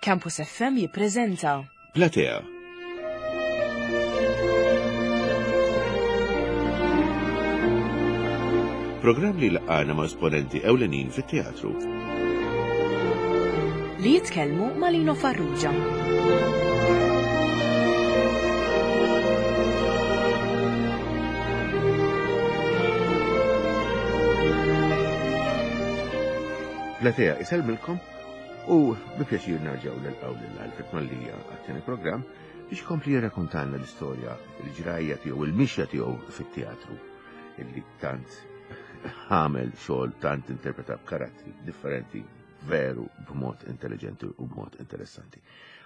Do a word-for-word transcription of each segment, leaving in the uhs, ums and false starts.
Campus F M jippreżenta Platea. Programm li laqana ma' esponenti ewlenin fit-teatru. Li jitkellmu ma' Lino Farrugia. Platea isellmilkom u bi pjaċir nerġgħu nilqgħu lil Alfred Mallia għat-tieni programm biex kompli jirrakkontalna l-istorja, il-ġrajja tiegħu, il-mixja tiegħu fit-teatru illi tant għamel xogħol, tant interpreta karattri differenti veru b'mod intelligenti u b'mod interessanti.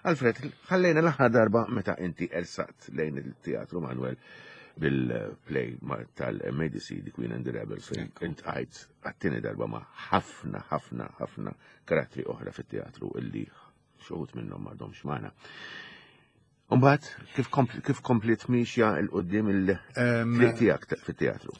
Alfred, ħallejna l-aħħar darba meta inti ersaqt lejn il-teatru Manuel bil-play tal-M A D C, The Queen and the Rebel, fejn iltqajt għat-tieni darba ma' ħafna, ħafna, ħafna karattri oħra fit-teatru illi xi wħud minnhom m'għadhomx magħna. Umbagħad, kif, kif kompliet mixja 'l quddiem il-triq tiegħek fit-teatru?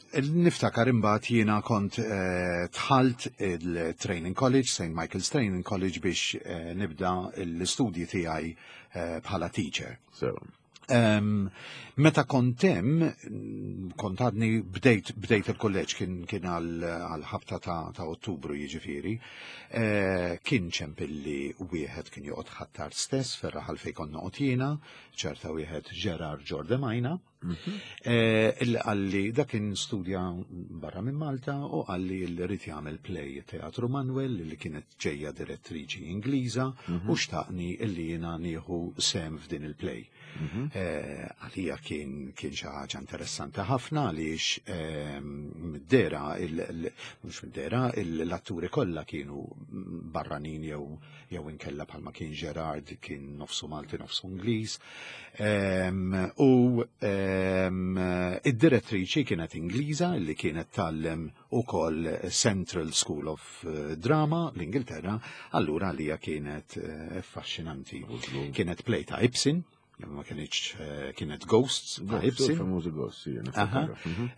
Niftakar imbagħad jiena kont eh, dħalt il-Training College, Saint Michael's Training College, biex eh, nibda l-istudji tiegħi eh, bħala teacher. So, Um, meta kont hemm, kont għadni bdejt, bdejt il-kolleġġ, kien, kien għal ħabta ta', ta' Ottubru jiġifieri, eh, kien ċempilli wieħed kien joqgħod Ħ'Attard stess fir-raħal fejn kont noqgħod jiena, ċerta wieħed Gerard Giordemaina, eh, illi qalli, dak kien studja barra minn Malta, u qalli li ried jagħmel play Teatru Manuel li kienet ġejja direttriċi Ingliża u xtaqni illi jiena nieħu sehem f'din il-play. Eh, Għalija kien kien xi ħaġa interessanti ħafna għaliex ehm, mid-dera, mhux mid-dera, l-atturi kollha kienu barranin jew jew inkella bħalma kien Gerard, kien nofsu Malti, nofsu Ingliż. Ehm, U ehm, id-direttriċi kienet Ingliża li kienet tgħallem ukoll Central School of eh, Drama l-Ingilterra, allura għalija kienet eh, affaxxinanti. Kienet play ta' Ibsen, ma kienx eh, kienet Ghosts ta' Ibsen. Famużi Ghosts, jena. Aha.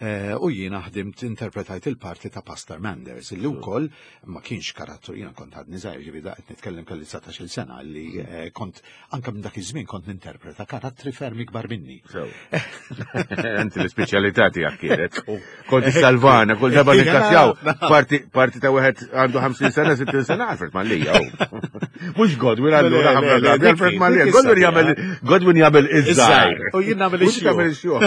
Eh, U jiena ħdimt, interpretajt il-parti ta' Pastor Manders, illi wkoll ma kienx karattru, jiena kont għadni żgħir, ġifieri da qed nitkellem kelli dsatax-il sena, li eh, kont anke minn dak iż-żmien kont ninterpreta karattri ferm ikbar minni. So. Inti l-speċjalità tiegħek kienet. Kont salvana, kull darba nikkastjaw. Parti parti ta' wieħed għandu ħamsin sena, sittin sena, Alfred Mallia. Mhux Godwin allura ħafna drabi, Alfred Mallia. Godwin jagħmel Godwin jagħmel iż-żgħir. U jien nagħmel Mhux tagħmel ix-xjuħ.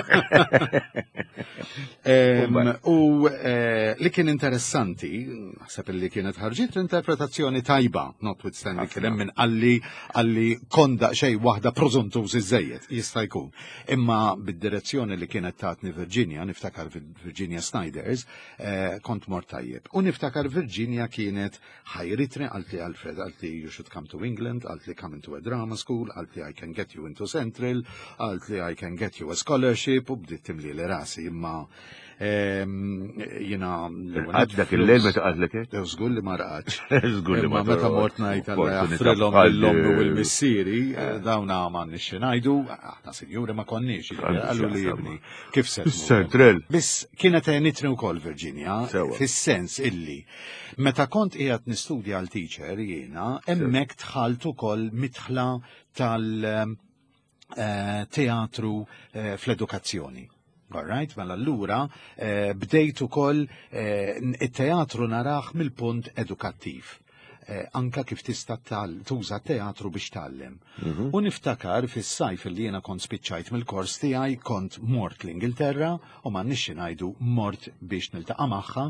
Em, U eh, li kien interessanti, naħseb li kienet ħarġit interpretazzjoni tajba, notwithstanding kien hemm min qalli qalli konda xej waħda prożuntuż iżejjed, jista' jkun. Imma bid-direzzjoni li kienet tatni Virginia, niftakar Virginia Snyders, eh, kont mort tajjeb. U niftakar Virginia kienet ħajritni, qaltli, "Alfred," qaltli, "you should come to England," qaltli, "come into a drama school," qaltli, "I can get you into Central," qaltli, "I can get you a scholarship," u bdiet timli li rasi, imma em, jiena Għad dak il-lejl meta qaltlek hekk? Żgur li ma rqadx. Żgur li ma Imma meta mort ngħid Alla jaħfrilhom lill-ommi u l-missieri, dawna m'għandniex xi ngħidu, aħna sinjuri ma konniex, qallu li ibni. Kif se tmur? Central. Biss kienet għenitni wkoll Virginia, Sewa. fis-sens illi meta kont qiegħed nistudja għal teacher jiena, hemmhekk dħalt ukoll midħla tal- eh, teatru eh, fl-edukazzjoni. All right, mela allura eh, bdejt ukoll eh, it-teatru narah mill-punt edukattiv. Eh, anka kif tista' tal- tuża teatru biex tgħallem. U niftakar fis-sajf li jiena kont spiċċajt mill-kors tiegħi, kont mort l-Ingilterra u ma nixxi ngħidu mort biex niltaqa' magħha,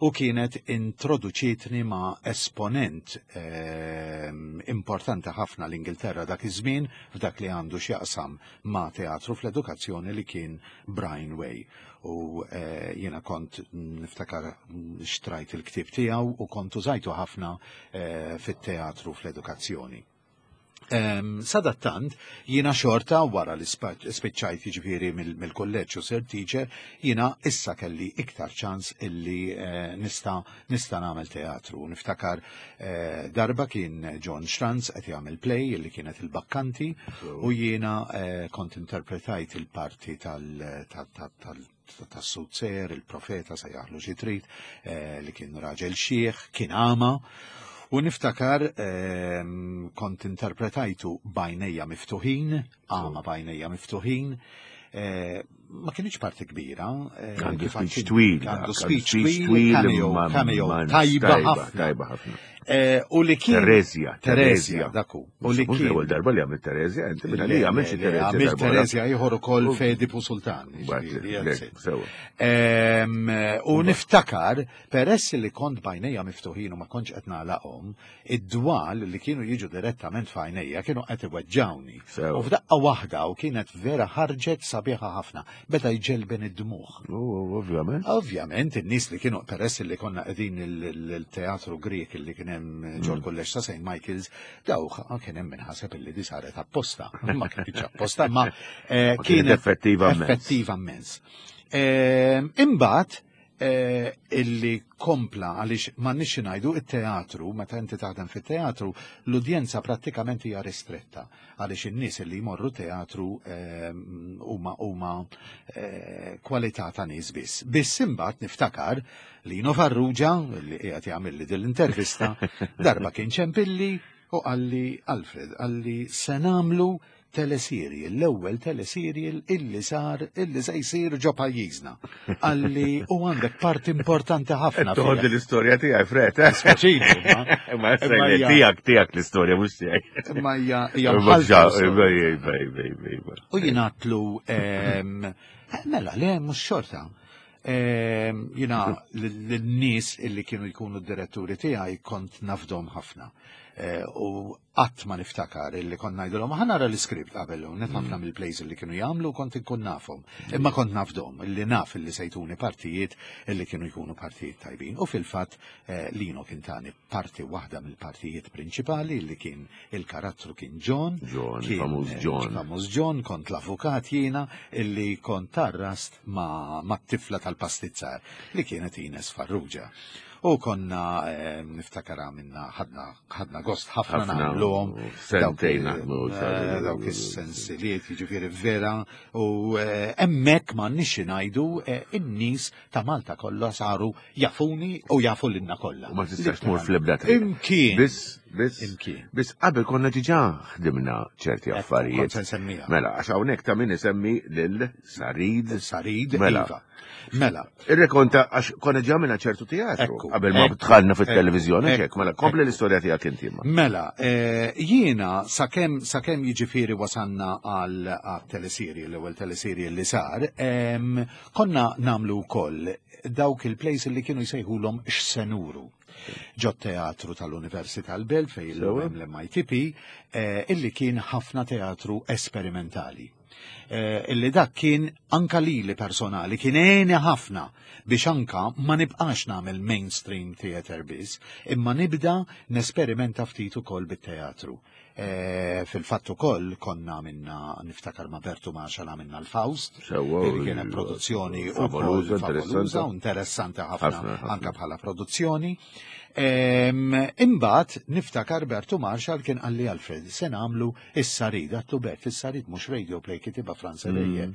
u kienet introduċitni ma' esponent eh, importanti ħafna l-Ingilterra dak iż-żmien f'dak li għandu x'jaqsam ma' teatru fl-edukazzjoni, li kien Brian Way. U eh, jiena kont niftakar xtrajt il-ktieb tiegħu u kont użajtu ħafna eh, fit-teatru fl-edukazzjoni. Um, sadattant, jiena xorta wara li spa- spiċċajt jiġifieri mill- mill-kolleġġ u sirt teacher, jiena issa kelli iktar ċans illi eh, nista, nista nagħmel teatru. Niftakar eh, darba kien John Schranz qed jagħmel play illi kienet il-Bakkanti u jiena eh, kont interpretajt il-parti tal- tal- tal- tal- tas-soothsayer, il-profeta, sejjaħlu xi trid, eh, li kien raġel xiħ, kien għama. U niftakar ehm, kont interpretajtu b'għajnejja miftuħin, għama b'għajnejja miftuħin, eh, ma kienx parti kbira. eh, Għandu kif speech għandin- twil. Għandu għandu speech twil, cameo, imma cameo, man- tajba ħafna. Tajba ħafna. Eh, U li kien. Terezja, Terezja, daku. U li Mhux kien. l-ewwel darba li għamilt Terezja, inti minn għalija għamilt xi Terezja. Għamilt darba oħra. Terezja ieħor ukoll U- Fedipu Sultan. Bat, jiġifieri, le, that's it. sewa. Em, U niftakar, peress li kont b'għajnejja miftuħin u ma kontx qed nagħlaqhom, id-dwal li kienu jiġu direttament f'għajnejja kienu qed iweġġawni. Sewa. U f'daqqa waħda u kienet vera ħarġet sabiħa ħafna, beda jġelben id-dmuħ. U, Ovvjament. Ovvjament, in-nies li kienu peress li konna qegħdin il- il- il-teatru Grek li kien hemm ġol kulleġġ ta' Saint Michael's, daw kien hemm minħaseb illi di saret apposta. Ma kienx apposta, ma eh, Ma kienet effettiva immens. Effettiva immens. Ehm, Imbagħad eh, illi kompla għaliex m'għandniex ngħidu it-teatru, meta inti taħdem fit-teatru, l-udjenza prattikament hija ristretta għaliex in-nies li jmorru teatru ehm, huma huma eh, kwalità ta' nies biss. Biss imbagħad niftakar Lino Farrugia, li qiegħed jagħmel li din l-intervista, darba kien ċempilli u qalli Alfred, qalli se nagħmlu teleserial, l-ewwel teleserial illi sar, illi se jsir ġo pajjiżna. Qalli u għandek parti importanti ħafna. Toħod fiha. l-istorja tiegħi, Fred. eh? Speċinu, ma- Ma Imma hija- tiegħek tiegħek l-istorja mhux tiegħek. Imma hija hija Imma mħallta ġa- l-istorja. Iva, iva, iva, iva. U jingħatlu ehm, eh, mela, le, mhux xorta. Ehm, Jina l-nies illi kienu jkunu d-diretturi tiegħi kont nafdom ħafna. Eh, U qatt ma niftakar illi kont ngħidulhom ħa nara l-iskript qabel u net ħafna mill-plays illi kienu jagħmlu kont inkun nafhom. Imma kont nafdom illi naf illi se jtuni partijiet illi kienu jkunu partijiet tajbin. U fil-fatt eh, Lino kien tani parti waħda mill-partijiet prinċipali illi kien il-karattru kien John. John, kien, famuż eh, John. Famuż John, kont l-avukat jiena illi kont tarrast ma, ma t-tifla tal-pastizzar li kienet Ines Farrugia. U konna eh, niftakar minna ħadna ħadna gost ħafna Ħafna, nagħmluhom. u sentejn Dawk, naħdmu, eh, sar- Dawk is-sensiliet, jiġifieri vera, u eh, hemmhekk m'għandniex ngħidu eh, in-nies ta' Malta kollha saru jafuni u jafu lilna kollha. U ma tistax tmur fl-ebda triq. Imkien. Biss, biss, Imkien. biss qabel konna diġà ħdimna ċerti Ekku, affarijiet. kont se nsemmiha. Mela, għax hawnhekk ta' min isemmi lil Sarid. Sarid, Mela. iva. Mela, Irrekonta għax konna ġa minna ċertu teatru Ekku, qabel ma ekku, dħalna fit-televiżjoni ekku, hekk, mela kompli ekku. l-istorja tiegħek inti imma. Mela, eh, jiena sakemm sakemm jiġifieri wasanna għal għal teleserje, l-ewwel teleserje li sar, em, konna namlu wkoll dawk il-plays li kienu jsejħulhom x'senuru. Ġo teatru tal-Università l-Belt fej Sewa. l-M I T P, eh, illi kien ħafna teatru esperimentali. Eh, illi dak kien anka lili personali kien għeni ħafna biex anka ma nibqax nagħmel mainstream theater biss, imma nibda nesperimenta ftit ukoll bit-teatru. Eh, Fil-fatt ukoll konna minna niftakar ma' Bertu Marshall għamilna l-Faust, Sewa, illi kienet produzzjoni ukoll favoluża, favoluża u interessanti. interessanti ħafna Ħafna, ħafna. anka bħala produzzjoni. Em, Imbagħad niftakar Bertu Marshall kien qalli Alfred, se nagħmlu is-Sarid, għattu Bert, is-Sarid mhux radio play kitiba Franz Ebejer.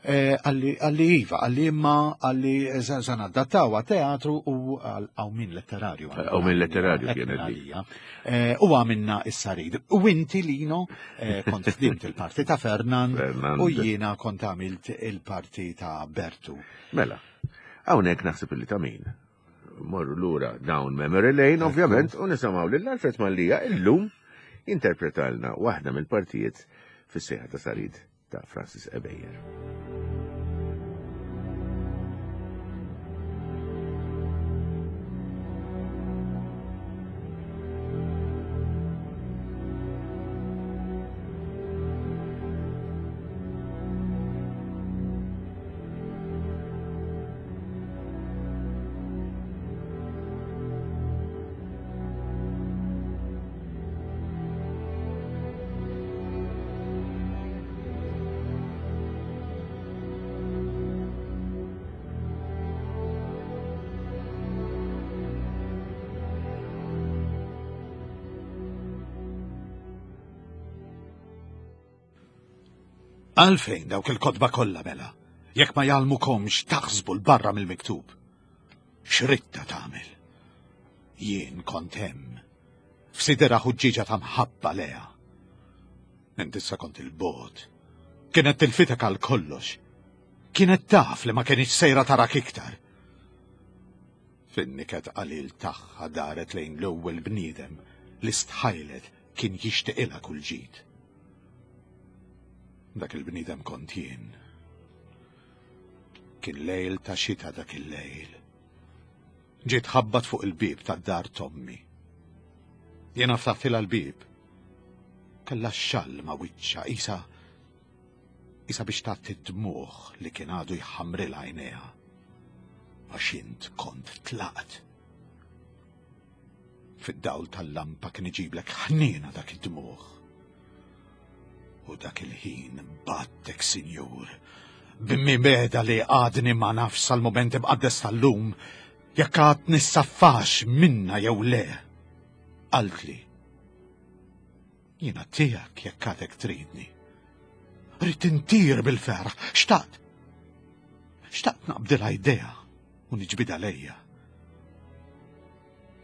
Eh, Qalli qalli iva, qalli imma qalli se se nadattaw teatru u għal min letterarju. Għaw min letterarju Hekk kienet minn dik. għalija. Eh, U għamilna is-Sarid. U inti Lino eh, kont ħdimt il-parti ta' Fernand Fernand. u jiena kont għamilt il-parti ta' Bertu. Mela, hawnhekk naħseb illi ta' min. Morru lura down memory lane, ovvjament, u nisimgħu lil Alfred Mallia illum interpretalna waħda mill-partijiet fis-sejħa ta' Sarid ta' Francis Ebejer. Għalfejn dawk il-kotba kollha mela, jekk ma jgħallmukomx taħsbu l barra mill-miktub. X'ridtha tagħmel? Jien kont hemm. F'sidera ħuġġieġa ta' mħabba leha. Int issa kont il-bogħod. Kienet tilfitek għal kollox. Kienet taf li ma kienx sejra tarak iktar. Fin-niket qalil tagħha daret lejn l-ewwel bniedem li stħajlet kien jixtieqilha kull ġid. Dak il-bniedem kont jien. Kien lejl ta' xita dak il-lejl. Ġiet ħabbat fuq il-bieb tad-dar t'ommi. Jiena ftaħtilha l-bieb. Kellha x-xall ma' wiċċha isa isa biex tgħatti d-dmugħ li kien għadu jħamrilha għajnejha. Għax int kont tlaqt. Fid-dawl tal-lampa kien iġiblek ħniena dak id-dmugħ. U dak il-ħin battek, sinjur, b'mibeda li għadni ma nafx sal-mument imqaddes tal-lum jekk għad nissaffax minna jew le. Qaltli, jiena tiegħek jekk għadek tridni. Rrid intir bil-ferħ, xtaqt. Xtaqt naqbdilha idea u niġbidha lejja.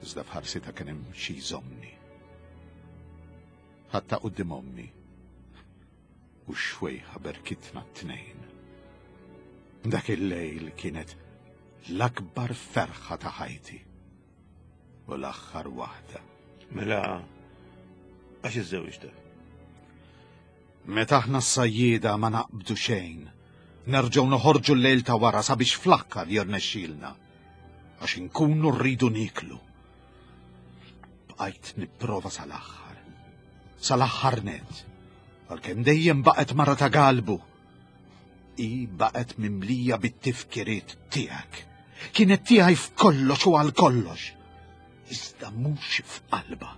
Iżda f'ħarsitha kien hemm xi jżommni. Ħadtha quddiem ommi u x-xwejħa berkitna t-tnejn. Dak il-lejl kienet l-akbar ferħa ta' ħajti u l-aħħar waħda. Mela, għax iżżewġta? Meta aħna s-sajjieda ma naqbdu xejn, nerġgħu noħorġu l-lejl ta' wara sabiex fl-aħħar jirnexxielna, għax inkunu rridu niklu. Bqajt nipprova sal-aħħar, sal-aħħar net, għalkemm dejjem baqgħet mara ta' galbu. I baqgħet mimlija bit-tifkiriet tiegħek. Kienet tiegħi f'kollox u għal kollox. Iżda mhux f'qalba.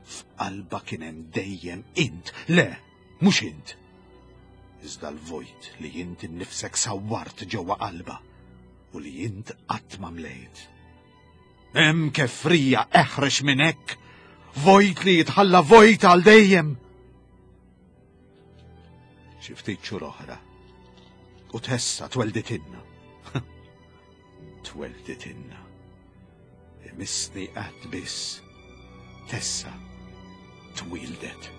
F'qalba kien hemm dejjem int. Le, mhux int. Iżda l-vojt li int innifsek sawwart ġewwa qalba u li int qatt ma mlejt. Hemm kefrija eħrex minn hekk, vojt li jitħalla vojt għal dejjem. Xi ftit xhur oħra u Tessa twelditinna. Twelditinna. Imissni qatt biss. Tessa twildet.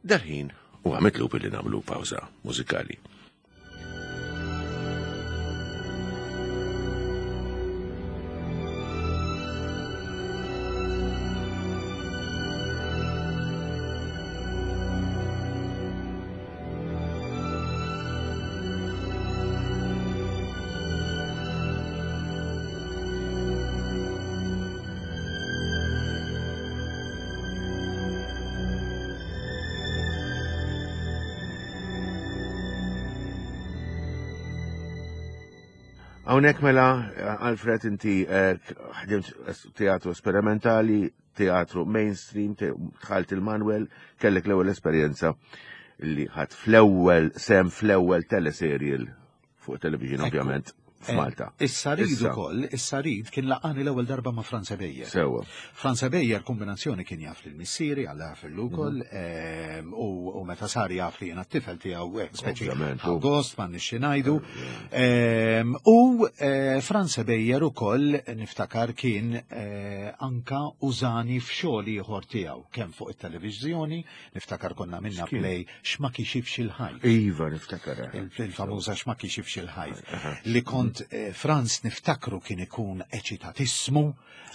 Dal-ħin u għamitlu billi nagħmlu pawża mużikali. Hawnhekk mela, Alfred, inti ħdimt teatru sperimentali, teatru mainstream, dħalt il-Manuel, kellek l-ewwel esperjenza li ħadd fl-ewwel sem fl-ewwel teleserial fuq television, ovvjament, f'Malta. Is-Sarid ukoll, is-Sarid kien laqani l-ewwel darba ma' Franz Ebejer. Sewwa. Franz Ebejer kombinazzjoni kien jaf lil missieri għal fil ukoll, u meta sar jaf li jiena t-tifel tiegħu speċi Agost m'għandniex xi ngħidu. U Franz Ebejer ukoll niftakar kien anka użani f'xogħol ieħor tiegħu kemm fuq it-televiżjoni, niftakar konna minna play X'ma kixifx il-ħajt. Iva, niftakar. Il-famuża X'ma kixifx il-ħajt. Li kont Franz niftakru kien ikun eċitatismu,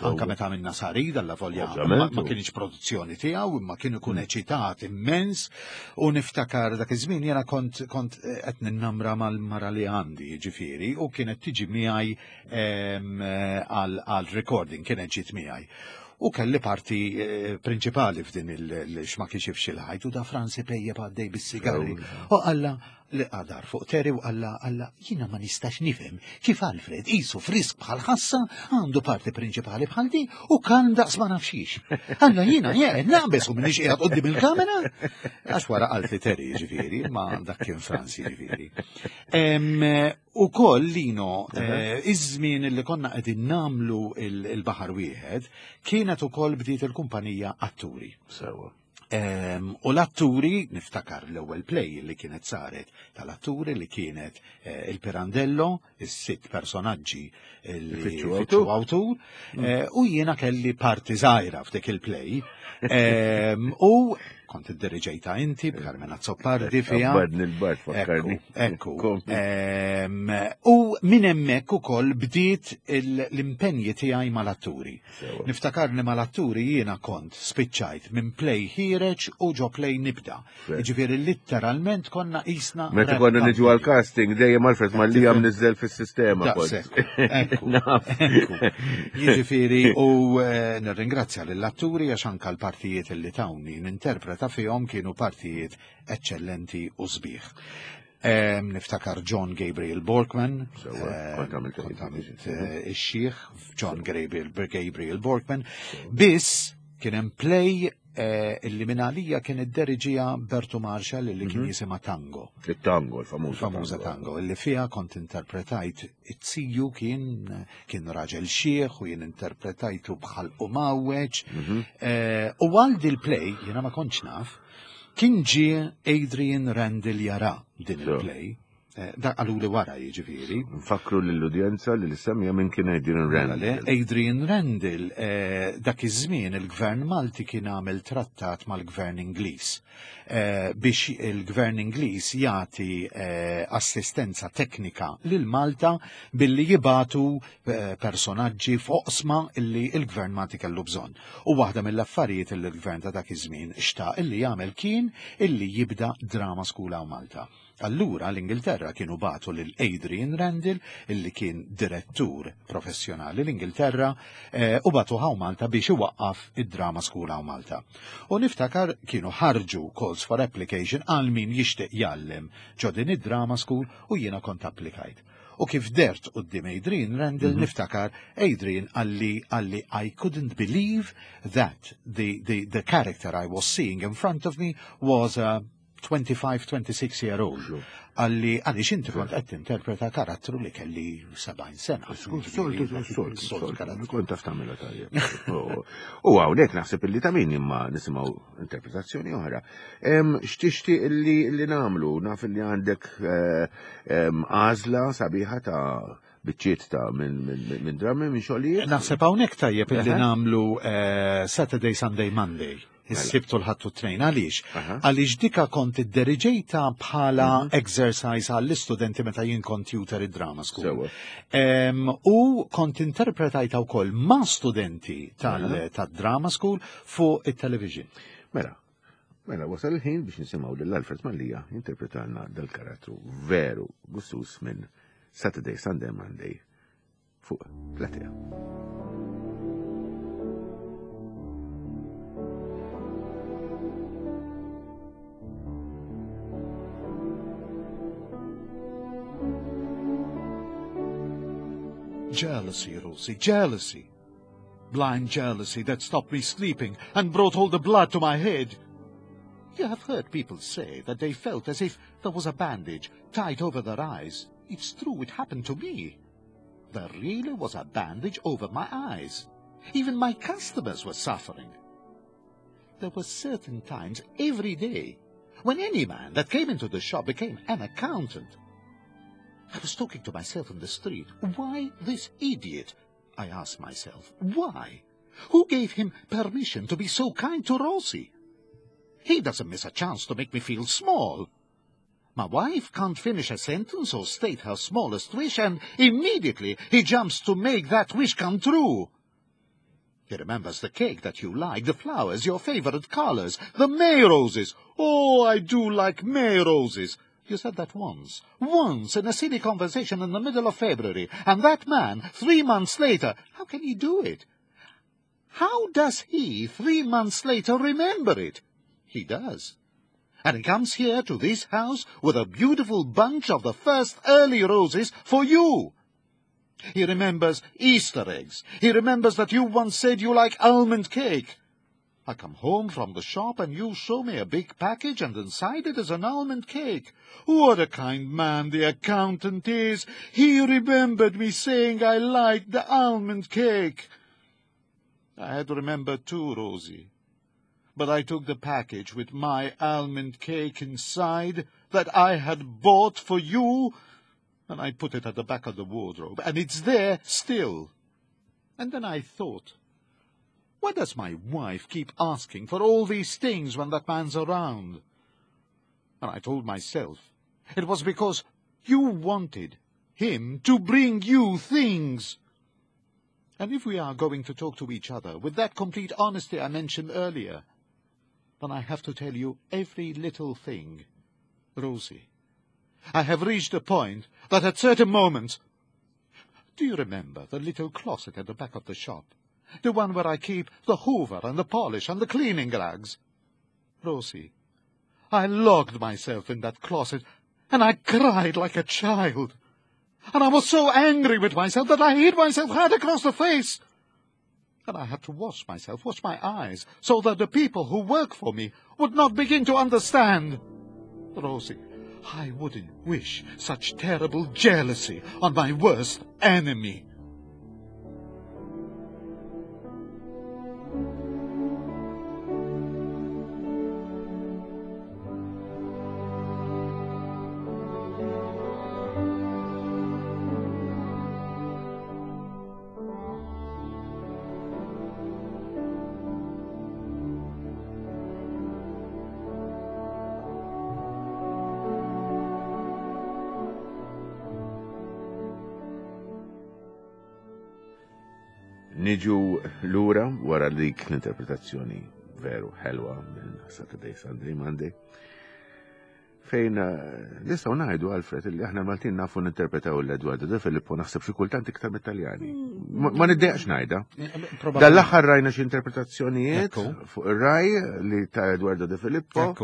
anka meta minna Sarid, alla volja ma kienx produzzjoni tiegħu, imma kien ikun eċitat immens, u niftakar dak iż-żmien jiena kont kont qed ninnamra mal-mara li għandi, jiġifieri, u kienet tiġi miegħi għal recording, kienet ġiet miegħi. U kelli parti prinċipali f'din il-X'ma kixifx il-ħajt, u da Franz ipejjeb għaddej bis-sigarri. U qalla li qadar fuq Terry u qalla qalla jiena ma nistax nifhem kif Alfred qisu frisk bħal ħassa għandu parti prinċipali bħal di u kalm daqs ma nafxix. Alla jiena jien naqbes u minix qiegħed quddiem il-kamera. Għax wara qalt li Terry jiġifieri, ma dak kien Franz jiġifieri. U koll, Lino, eh, iż-żmien li konna qegħdin nagħmlu il-Baħar Wieħed, kienet ukoll bdiet il-kumpanija Atturi. Sewa. Em, U l-atturi, niftakar l-ewwel play li kienet saret tal-atturi li kienet eh, il-Pirandello, is-sitt personaġġi li Ifittxu fittxu awtur, eh, u jiena kelli parti żgħira f'dik il-play. Em, U kont iddiriġejta inti b'Carmen Azzopardi fiha. Badni l-bard fakkarni. Ekku, ekku. Kompli. Em, U minn hemmhekk ukoll bdiet il- l-impenji tiegħi mal-atturi. Sewa. Niftakarni mal-atturi jiena kont spiċċajt minn play ħiereġ u ġo play nibda. Fair. Ġifieri literalment konna qisna. Meta rap konna niġu company. għal-casting, dejjem Alfred Mallia mniżżel fis-sistema. kont. Daqshekk, ekku, Naf. ekku. Jiġifieri u eh, nirringrazzja lill-atturi għax anka l-partijiet li tawni ninterpreta fihom kienu partijiet eccellenti u sbieħ. Em, Niftakar John Gabriel Borkman, Sewa, em, kont għamilt kont għamilt il- eh, ix-xiħ John Gabriel, Gabriel Borkman, biss kien hemm play eh, illi minn għalija kien idderiġija Bertu Marshall illi kien jisimha Tango. Il-tango, il-famuża Famuża tango, illi fiha kont interpretajt it-siju kien kien raġel xieħ u jien interpretajtu bħal u mawweġ. Eh, U għal dil-play, jiena ma kontx naf, kien ġie Adrian Randall jara din So. il-play. Eh, Da qalu li wara jiġifieri. Nfakru lill-udjenza li l-semja minn kien Adrian Mela le, Randall. Adrian Randall, eh, dak iż-żmien il-Gvern Malti kien għamel trattat mal-Gvern Ingliż eh, biex il-Gvern Ingliż jagħti eh, assistenza teknika lil Malta billi jibatu eh, personaġġi f'oqsma illi il-Gvern Malti kellu bżonn. U waħda mill-affarijiet illi l-Gvern ta' dak iż-żmien xtaq illi jagħmel kien illi jibda drama school hawn Malta. Allura l-Ingilterra kienu batu lil Adrian Randall, illi kien direttur professjonali l-Ingilterra, eh, u batu hawn Malta biex iwaqqaf id-drama school hawn Malta. U niftakar kienu ħarġu calls for application għal min jixtieq jgħallem ġo din id-drama school u jiena kont applikajt. U kif dert quddiem Adrian Randall niftakar Adrian qalli qalli I couldn't believe that the, the, the character I was seeing in front of me was a twenty-five, twenty-six year old. Qalli għaliex inti kont qed tinterpreta karattru li kelli sebgħin sena. Soltu, soltu, Soltu soltu, karattru. kont taf tagħmilha tajjeb. U hawnhekk naħseb illi ta' min imma nisimgħu interpretazzjoni oħra. Em, X'tixtieq illi li nagħmlu? Naf illi għandek eh, em, għażla sabiħa ta' biċċiet ta' minn minn- minn drammi, minn xogħlijiet. Naħseb hawnhekk tajjeb illi Aha. nagħmlu eh, Saturday, Sunday, Monday. Is-Sibt u l-Ħadd u t-Tnejn. Għaliex? Aha. Għaliex dika kont idderiġejta bħala exercise għall-istudenti meta jien kont tutor id-drama school. Sewa. Em, U kont interpretajta wkoll ma' studenti tal- tad-drama school fuq it-television. Mela, mela wasal il-ħin biex nisimgħu lil Alfred Mallia interpretalna dal-karattru veru gustus minn Saturday, Sunday, Monday fuq Platea. Jealousy, Rosie, jealousy. Blind jealousy that stopped me sleeping and brought all the blood to my head. You have heard people say that they felt as if there was a bandage tied over their eyes. It's true, it happened to me. There really was a bandage over my eyes. Even my customers were suffering. There were certain times every day when any man that came into the shop became an accountant. I was talking to myself in the street. Why this idiot? I asked myself. Why? Who gave him permission to be so kind to Rosie? He doesn't miss a chance to make me feel small. My wife can't finish a sentence or state her smallest wish, and immediately he jumps to make that wish come true. He remembers the cake that you like, the flowers, your favorite colors, the May roses. Oh, I do like May roses. You said that once, once in a silly conversation in the middle of February, and that man, three months later, how can he do it? How does he, three months later, remember it? He does. And he comes here to this house with a beautiful bunch of the first early roses for you. He remembers Easter eggs. He remembers that you once said you like almond cake. I come home from the shop and you show me a big package and inside it is an almond cake. What a kind man the accountant is! He remembered me saying I liked the almond cake. I had remembered too, Rosie. But I took the package with my almond cake inside that I had bought for you, and I put it at the back of the wardrobe, and it's there still. And then I thought, why does my wife keep asking for all these things when that man's around? And I told myself it was because you wanted him to bring you things. And if we are going to talk to each other with that complete honesty I mentioned earlier, then I have to tell you every little thing. Rosie, I have reached a point that at certain moments... Do you remember the little closet at the back of the shop? The one where I keep the hoover and the polish and the cleaning rags? Rosie, I locked myself in that closet and I cried like a child. And I was so angry with myself that I hit myself hard across the face. And I had to wash myself, wash my eyes, so that the people who work for me would not begin to understand. Rosie, I wouldn't wish such terrible jealousy on my worst enemy. Niġu lura wara dik l-interpretazzjoni veru ħelwa minn Saturday, Sunday, Monday, fejn nistgħu ngħidu, Alfred, li aħna Maltin nafu ninterpretaw l-Eduardo De Filippo naħseb xi kultant iktar mit-Taljani. Ma niddejaqx ngħidha. Dal-aħħar rajna xi interpretazzjonijiet fuq ir-Rai li ta' Eduardo De Filippo.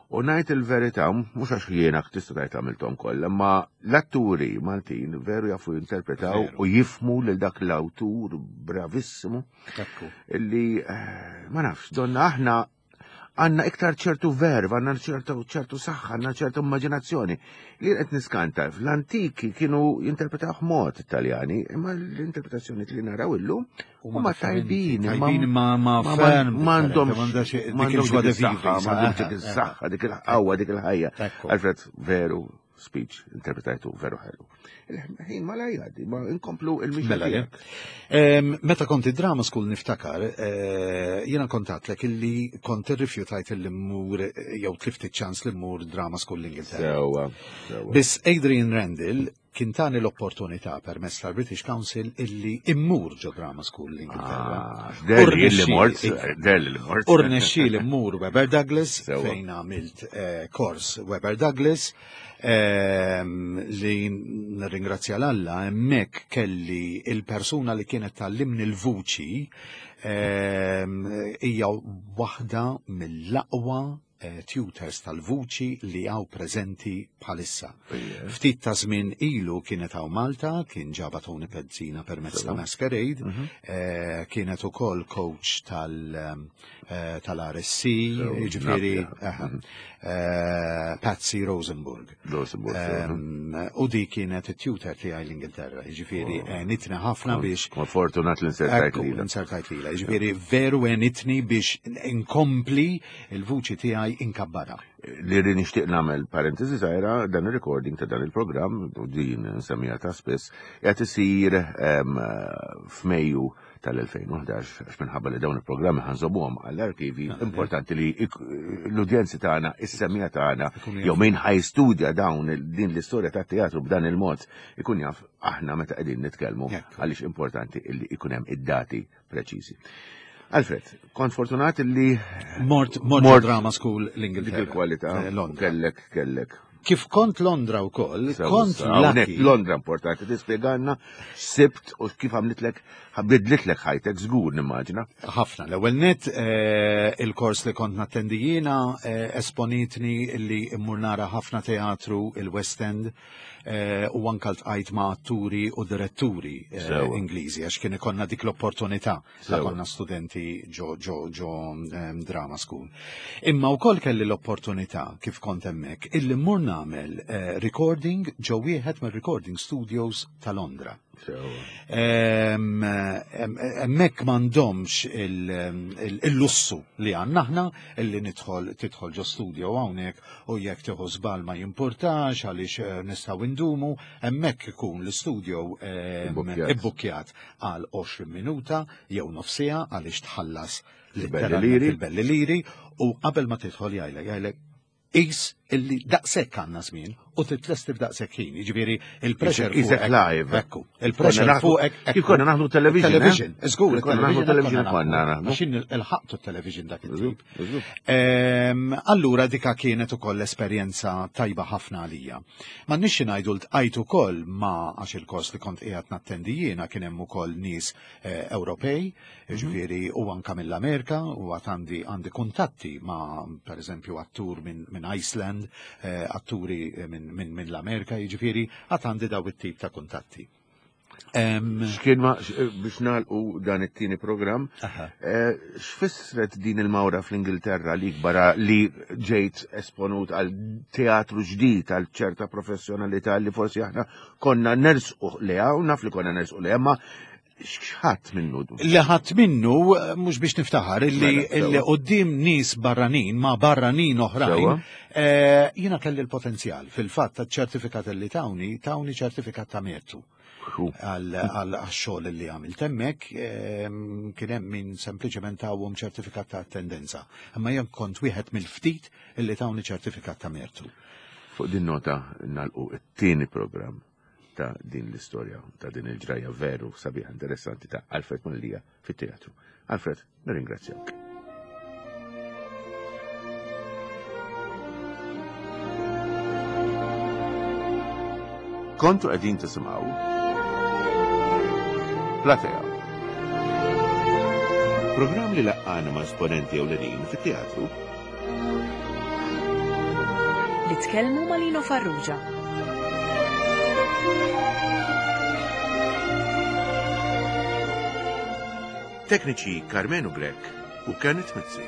U ngħid il-verità, mhux għax jiena tista' tgħid għamilthom kollha, ma l-atturi Maltin veru jafu jinterpretaw u jifmu lil dak l-awtur bravissimu illi ma nafx, donna aħna għandna iktar ċertu verb, għandna ċertu ċertu saħħa, għandna ċertu immaġinazzjoni. Li qed niskanta, fl-antiki kienu jinterpretaw mod Italjani, imma l-interpretazzjoni li naraw illum huma tajbin, tajbin ma ma ferm, m'għandhomx m'għandhomx dik is-saħħa, m'għandhomx dik is-saħħa, dik il-qawwa, dik il-ħajja. Alfred, veru speech interpretajtu veru ħelu. Il-ħin ma la jgħaddi, ma inkomplu il-mixja. Mela, meta kont id-drama school niftakar, jiena kontatlek illi kont irrifjutajt illi mmur jew tlift iċ-ċans li mmur drama school l-Ingilterra. Sewwa, sewwa. Biss Adrian Randall kien tani l-opportunità permezz tal-British Council illi immur ġo drama school l-Ingilterra. Delli li mort, delli li mort. U rnexxieli mmur Webber Douglas fejn għamilt kors Webber Douglas li nirringrazzja l-Alla hemmhekk kelli il-persuna li kienet tallimni l-vuċi hija waħda mill-aqwa tutors tal-vuċi li għaw preżenti bħalissa. Ftit ta' żmien ilu kienet għaw Malta, kien ġaba Tony Pezzina permezz ta' Masquerade, kienet ukoll coach tal-R S C, jiġifieri Patsy Rosenburg. U di kienet it-tutor tiegħi l-Ingilterra, jiġifieri għenitni ħafna biex. Fortunat li nsertajt lilha. Nsertajt lilha, jiġifieri veru għenitni biex inkompli il-vuċi tiegħi inkabbara. Li ri nixtieq nagħmel parentesi żgħira, dan ir-recording ta' dan il-programm, u din nsemmija ta' spiss, qed isir f'Mejju tal-elfejn u ħdax, għax minħabba li dawn il-programmi ħanżomuhom għall-arkivi, importanti li l-udjenzi tagħna, is-semmija tagħna, jew min ħajstudja dawn din l-istorja tat-teatru b'dan il-mod, ikun jaf aħna meta qegħdin nitkellmu, għaliex importanti li ikun hemm id-dati preċiżi. Alfred, kont fortunat li mort mort drama school l-Ingilterra. Dik il-kwalità, kellek, kellek. Kif kont Londra wkoll, kont lucky. Londra importanti, tispjegalna sibt u kif għamlitlek Bidlitlek ħajtek żgur nimmaġina. Ħafna. L-ewwel net eh, il-kors li kont nattendi jiena eh, esponitni li mmur nara ħafna teatru il-West End eh, u anka ltqajt ma' atturi u diretturi eh, Sewa. Ingliżi għax kien ikollna dik l-opportunità la Sewa. konna studenti ġo ġo ġo em, drama school. Imma wkoll kelli l-opportunità kif kont hemmhekk illi mmur nagħmel eh, recording ġo wieħed mir-recording studios ta' Londra. Sewa. Em, em, Hemmhekk m'għandhomx il- il- il-lussu li għandna aħna illi nidħol tidħol ġo studio hawnhekk u jekk tieħu żball ma jimpurtax għaliex eh, nistgħu indumu, hemmhekk ikun l-studio em, Ibbukkjat. ibbukkjat għal għoxrin minuta jew nofsija għaliex tħallas Il-belli letteralment liri. il-belli liri u qabel ma tidħol jgħidlek jgħidlek is illi daqshekk għandna żmien u titlesti f'daqshekk ħin, jiġifieri il-pressure Isek fuqek. live. Ekku, il-pressure Konna naħdu- fuqek. Kif konna naħdu television, eh? Television, żgur, Kif konna naħdu television konna naħdu. Għax il-ħaqtu television dak it-tip. Żgur. Ehm, Allura dika kienet ukoll esperjenza tajba ħafna għalija. Ma nixxi ngħidu ltqajt ukoll ma għax il-kors li kont qiegħed nattendi jiena kien hemm ukoll nies eh, Ewropej, ġifieri u anka mill-Amerika u għad għandi għandi kuntatti ma pereżempju attur minn min Iceland, eh, atturi minn min, min l-Amerika, jiġifieri għad għandi daw it-tip ta' kuntatti. Ehm, X'kien ma x- biex nagħlqu dan it-tieni programm, aha. eh, x'fissret din il-mawra fl-Ingilterra li barra li ġejt esponut għal teatru ġdid, għal ċerta professjonalità li forsi aħna konna nersqu leha, u naf li konna nersqu leha, ma x'ħadd minnu? Li ħadd minnu, eh, mhux biex niftaħar, illi Mela, sewa. illi quddiem nies barranin ma' barranin oħrajn, Sewa. eh, jiena kelli l-potenzjal. Fil-fatt, ċertifikat li tawni, tawni ċertifikat ta' mertu Hu. għal għal xogħol li għamilt hemmhekk, ehm, kien hemm min sempliċement tawhom ċertifikat ta' attendenza. Imma jien kont wieħed mill-ftit illi tawni ċertifikat ta' mertu. Fuq din nota nagħlqu it-tieni programm ta' din l-istorja, ta' din il-ġrajja veru sabiħa interessanti ta' Alfred Mallia fit-teatru. Alfred, nirringrazzjak. Kontu qegħdin tisimgħu Platea. Programm li laqqana ma' esponenti ewlenin fit-teatru Li tkellmu ma' Lino Farrugia. Tekniċi Carmenu Grech u Kenneth Mizzi.